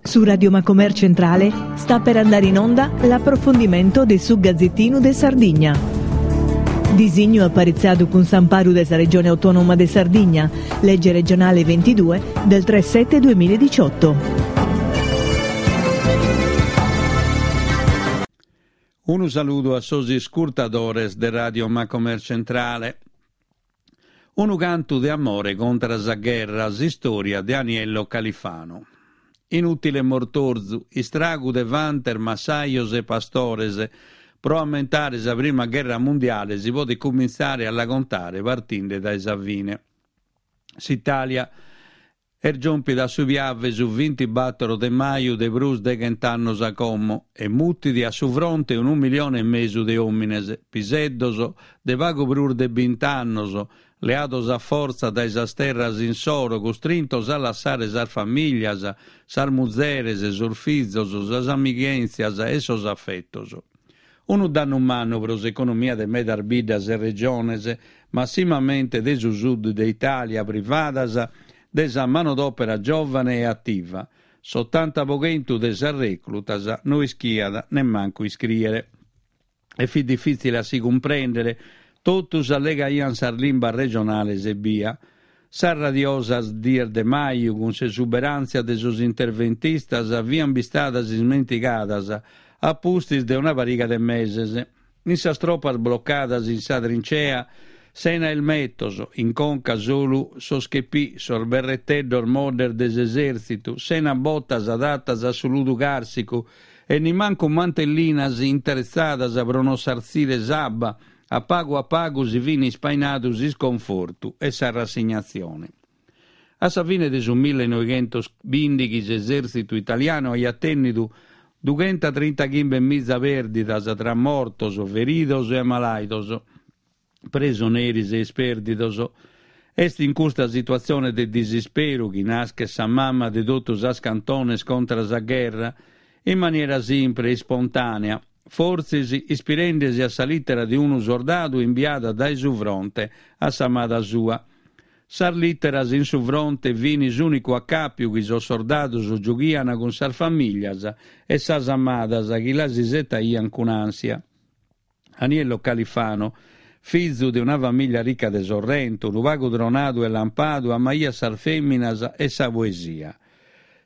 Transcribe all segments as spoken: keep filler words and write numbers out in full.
Su Radio Macomer Centrale sta per andare in onda l'approfondimento de su Gazzettinu de Sardigna. Disignu aparitzadu cun s'amparu de sa Regione Autonoma de Sardigna, legge regionale ventidue del tre sette duemiladiciotto. Unu saludu a sos iscurtadores de Radio Macomer Centrale. Unu cantu de amore contra sa gherra, s'istòria de Aniello Califano. Inùtile mortorzu, istragu de fantes, massajos e pastores. Pro ammentare sa prima gherra mundiale si podet cumintzare a la contare partinde dae sa fine. S'Itàlia est giòmpida a su Piave su bintibattoro de maju de prus de chent'annos a como e mutit a su fronte unu milione e mesu de òmines, piseddos de pagu prus de bint'annos, leados a fortza dae sas terras insoro, custrintos a lassare sas famìlias, sas muzeres, sos fizos, sas amighèntzias e sos afetos. Unu dannu mannu pro s'economia de medas biddas e regiones, massimamente de su sud de Itàlia, privadas de sa manodòpera giòvane e ativa. S'otanta pro chentu de sas rèclutas no ischiat nemmancu iscrìere. E fit difìtzile a si cumprèndere, totus allegaiant sas limbas regionales ebbia. Sas radiosas dies de maju, cun s'esuberàntzia de sos interventistas, fiant bistadas ismentigadas a pustis de una pariga de meses. In sas tropas blocadas in sa trincea, sena elmetos, in conca solu sos chepì, sos berreteddos moddes de s'esèrtzitu, sena botas adatas a su ludu càrsicu e nimancu mantellinas intretzadas pro non sartzire s'abba, a pagu a pagu si fin ispainadu s'isconfortu e sa rassignatzione. A sa fine de su millenoighentos bìndighi s'esèrtzitu italianu aiat tènnidu dughentotrintaghimbe miza pèrdidas tra mortos, feridos e amalàidos, presoneris e ispèrdidos. Est in custa situatzione de disisperu chi naschet sa mama de totu sas cantones contra sa gherra, in maniera simpre e ispontànea, fortzis ispirende-si a sa lìtera de unu sordadu imbiada dae su fronte a s'amada sua. Sas lìteras in su fronte fin s'ùnicu acàpiu chi sos sordados giughian cun sas famìlias e sas amadas chi las isetaian cun ànsia. Aniello Califano, fizu de una famìlia rica de Sorrento, unu pagu tronadu e lampadu, amaiat sas fèminas e sa poesia.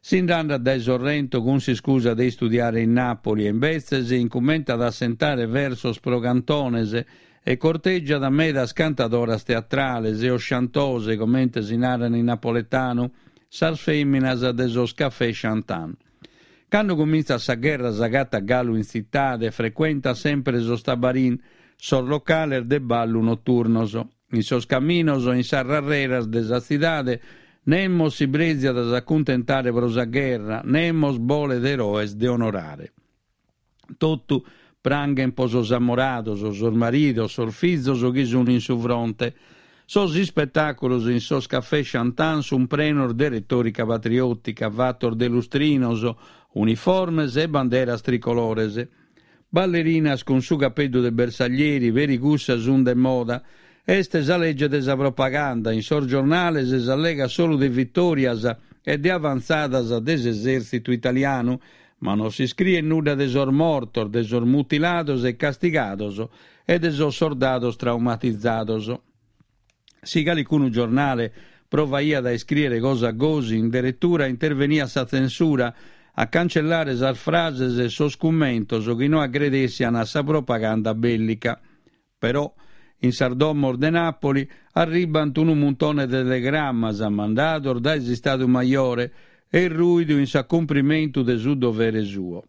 Si nd'andat dae Sorrento cun s'iscusa de istudiare in Nàpoli e imbetzes incumentat a assentare versos pro cantones e cortègiat medas cantadoras teatrales o chantose, comente si naran in napoletanu, sas fèminas de sos cafè chantant. Cando cumintzat sa gherra s'agatat galu in tzitade e frecuentat sempre sos tabarin, sos locales de ballu noturnos. In sos caminos e in sas rarreras de sa tzidade nemos si prèziat a s'acuntentare pro sa gherra, nemos bolet eroes de onorare. Totu pranghen pro sos amorados, sos maridos, sos fizos chi sun in su fronte. Sos ispetàculos in sos cafè chantant sun prenos de retòrica patriòtica, fatos de lustrinos, uniformes e banderas tricolores. Ballerinas cun su capeddu de bersaglieri, peri cussas sun de moda. Est sa lege de sa propaganda, in sos giornales s'allegat solu de vitòrias e de avantzadas de s'esèrtzitu italianu, ma non s'iscriet nudda de sos mortos, de sos mutilados e castigados e de sos sordados traumatizados. Si calicunu giornale provaiat a iscrìere cosa gosi, in deretura interveniat sa tzensura a cancellare sas frases e sos cummentos chi no agredessian a sa propaganda bèllica. Però, in sas domos de Nàpoli arribant unu muntone de telegrammas mandados dae s'Istadu Majore e rùidu in s'acumprimentu de su dovere suo.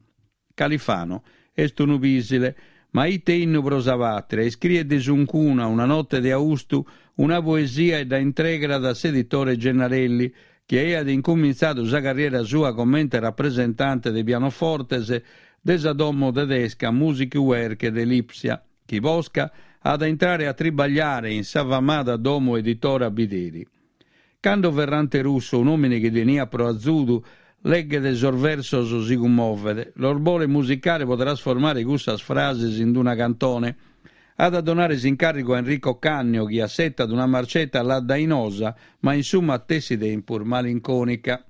Califano est unu pìsile, ma ite innu pro sa pàtria, iscriet de suncuna, una note de austu, una poesia e dda intregrat a s'editore Gennarelli, chi aiat incumintzadu sa carriera sua comente rapresentante de pianofortes de sa domo tedesca Musikwerke de Lipsia, chi posca at a intrare a tribagliare in sa famada domo editora Bideri. Cando Ferrante Russo, un'òmine chi teniat pro azudu, leghet sos versos si cummovet, los bolet musicare pro trasformare cussas frases in una cantone. At a donare s'incàrrigu a Enrico Cannio, chi assetat una marceta laddainosa, ma in su matessi tempus malincònica.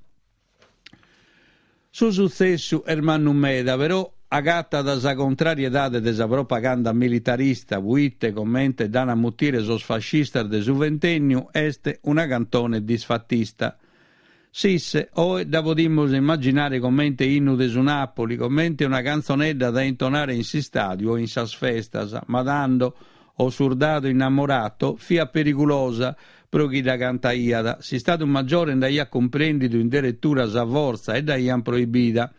Su sutzessu est mannu meda, però agatat sa contrariedade de sa propaganda militarista, puite, comente dd'an a mutire sos fascistas de su ventènniu, est una cantone disfatista. Sisse, oe dda podimus immaginare comente innu de su Napoli, comente una cantzonedda da intonare in s'istàdiu o in sas festas, ma tando O surdadu innamorato fiat perigulosa pro chi dda cantaiat, s'Istadu Maggiore nd'aiat cumprèndidu in deretura sa fortza e dd'aiant proibida.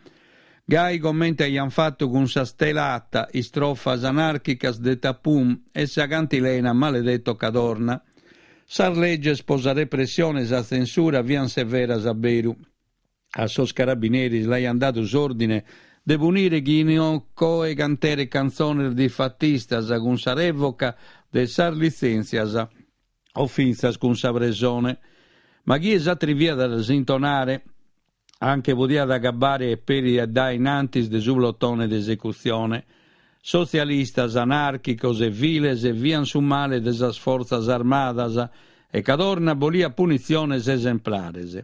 Gai comente aiant fatu cun sa Stelata, istrofas anàrchicas de Tapum e sa cantilena Maledetto Cadorna. Sas leges pro sa repressione e sa tzensura fiant severas a beru. A sos carabineris l'aiant dadu s'òrdine de punire chie canteret cantzones disfatistas cun sa rèvoca de sas litzèntzias o fintzas cun sa presone. Ma chie s'atriviat a las intonare anche podiat agabbare peri a dae in antis de su plotone de esecutzione. Sotzialistas, anàrchicos e viles fiant su male de sas fortzas armadas e Cadorna boliat punitziones esemplares.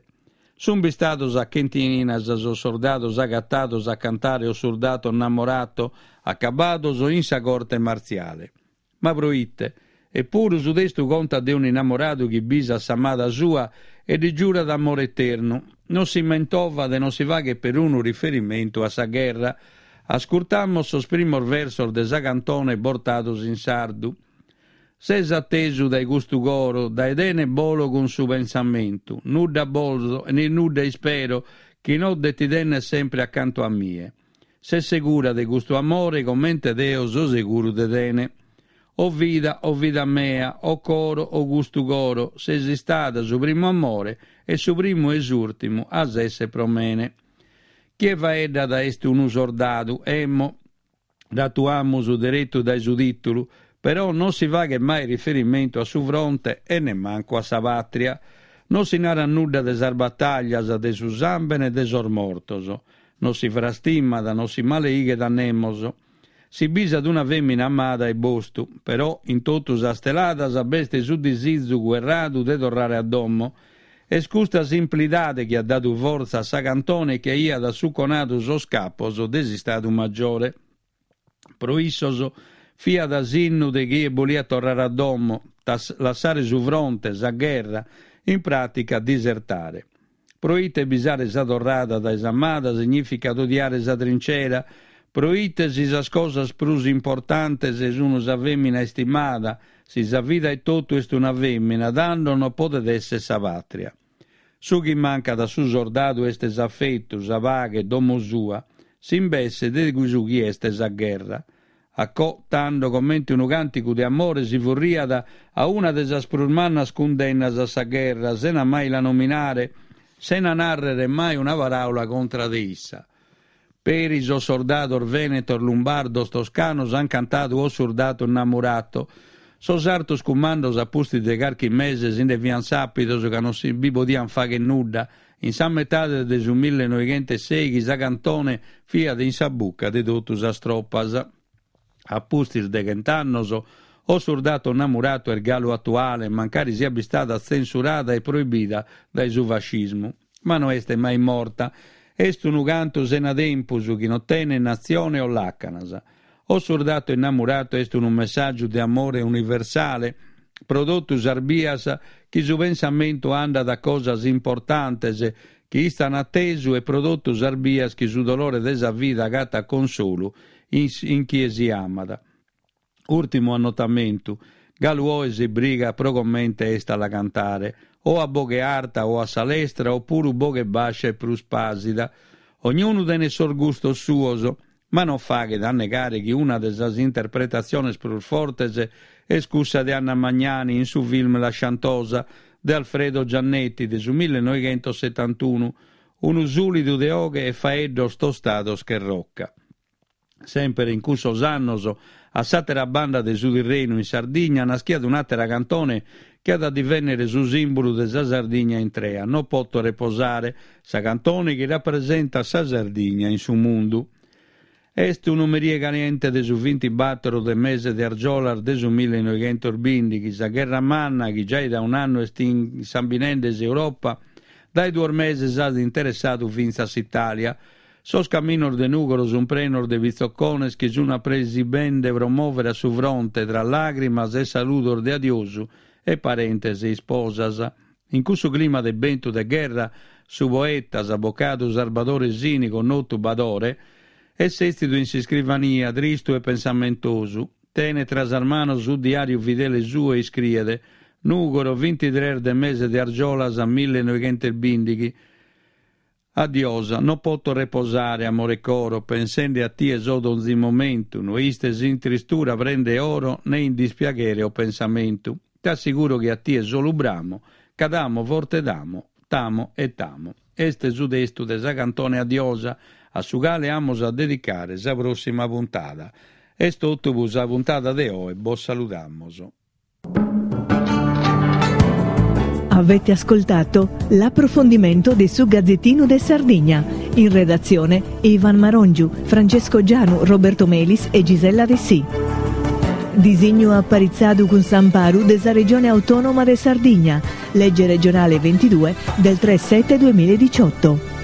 Sunt bistados a chentinas sos sordados agatados a cantare O surdato 'nnamorato, acabados in sa corte martziale. Ma pro ite? Epuru su testu contat de un'innamoradu chi bisat s'amada sua e ddi giurat amore eternu. Non si mentovat e non si faghet perunu riferimentu a sa gherra. Ascurtamos sos primos versos de sa cantone bortados in sardu. Ses atesu dae custu coro, dae tene bolo cun su pensamentu, nudda bolzo e ne nudda ispero chi no de ti tenner sempre acantu a mie. Ses segura de custu amore comente deo so seguru de tene. O vida, o vida mea, o coro, o custu coro, ses istada su primu amore e su primu e s'ùrtimu as esser pro mene. Chie faeddat est unu sordadu, emmo, dd'atuamus deretu dae su tìtulu, però non si faghet mai riferimentu a su fronte e nemmancu a sa pàtria. Non si narat nudda de sas batàllias, de su sàmbene e de sos mortos. Non si frastimat, non si maleighet a nemos. Si bisat una fèmina amada e bostu, però in totu sas teladas b'est su disizu cuerradu de torrare a domo. Est custa simplidade chi at dadu fortza a sa cantone chi aiat assuconadu sos capos de s'Istadu Maggiore. Pro issos fiat s'innu de chie boliat torrare a domo, lassare su fronte, sa gherra, in pràtica disertare. Pro ite bisare sa torrada dae s'amada signìficat odiare sa trincera, pro ite si sas cosas prus importantes sun sa fèmina istimada, si sa vida etotu est una fèmina, tando non podet èssere sa pàtria. Su chi mancat a su sordadu est s'afetu, sa paghe, domo sua, s'imbesse de su chi est sa gherra. Acò, tando, comente unu càntigu de amore si furriat a una de sas prus mannas cundennas a sa gherra, sena mai la nominare, sena nàrrere mai una paràula contra de issa. Peri sos sordados vènetos, lumbardos, toscanos ant cantadu O surdato 'nnamurato. Sos artos cumandos a pustis de carchi mese si nde fiant sàpidos ca non si bi podiant fàghere nudda, in sa metade de su millenoighentoseighi sa cantone fiat in sa buca de totu sas tropas. A pustis de chent'annos, O surdato 'nnamurato est galu atuale, mancari siat bistada tzensurada e proibida dae su fascismu. Ma no est mai morta. Est unu cantu sena tempus chi non tenet natzione o làcanas. O surdato innamurato est unu messàgiu de amore universale pro totu sas bias chi su pensamentu andat a cosas importantes chi istan atesu e pro totu sas bias chi su dolore de sa vida agatat consolu in chie si amat. Ùrtimu annotamentu, galu oe si brigat pro comente est a la cantare, o a boghe arta o a sa lestra o puru boghe bàscia e prus pàsida. Ognunu tenet sos gustos suos, ma non faghet a negare chi una de sas interpretatziones prus fortes est cussa de Anna Magnani in su film La Sciantosa de Alfredo Giannetti de su millenoighentosetantunu, unu sùlidu de 'oghe e faeddos tostados che rocca. Semper in cussos annos, a s'àtera banda de su Tirrenu, in Sardigna, naschiat un'àtera cantone chi at a divènnere su sìmbulu de sa Sardigna intrea, No poto reposare, sa cantone chi rapresentat sa Sardigna in su mundu. Est unu merie caliente de su bintibator de mese de argiolas de su millenoighentos bìndighi, sa Gherra Manna, chi giai dae un'annu est insambinende s'Europa, dae duos meses at interessadu fintzas s'Itàlia. Sos caminos de Nùgoro sun prenos de pitzocones chi sun apresibende pro mòvere a su fronte tra làgrimas e saludos de adiosu e parentes e isposas. In cussu clima de bentu de gherra, su poeta, s'abocadu Sarbadore Sini, connotu Badore, est sètzidu in s'iscrivania, tristu e pensamentosu. Tenet tra sas manos su diàriu fidele suo e iscriet, Nùgoro, bintitrès de mese de argiolas millenoighentosbìndighi. Adiosa, no poto reposare, amore coro, pensende a tie so donzi momentu, no istes in tristura prenda 'e oro, ne in dispiaghere o pensamentu. T'assiguro chi a tie solu bramo, ca t'amo forte t'amo, t'amo e t'amo. Est su testu de sa cantone Adiosa, a su cale amus a dedicare sa prossima puntada. Est totu pro sa puntada de oe, bos saludamos. Avete ascoltato l'approfondimento di su Gazzettino de Sardigna. In redazione Ivan Marongiu, Francesco Gianu, Roberto Melis e Gisella Dessì. Disignu aparitzadu cun s'amparu de sa Regione Autonoma de Sardigna, legge regionale ventidue del tre sette duemiladiciotto.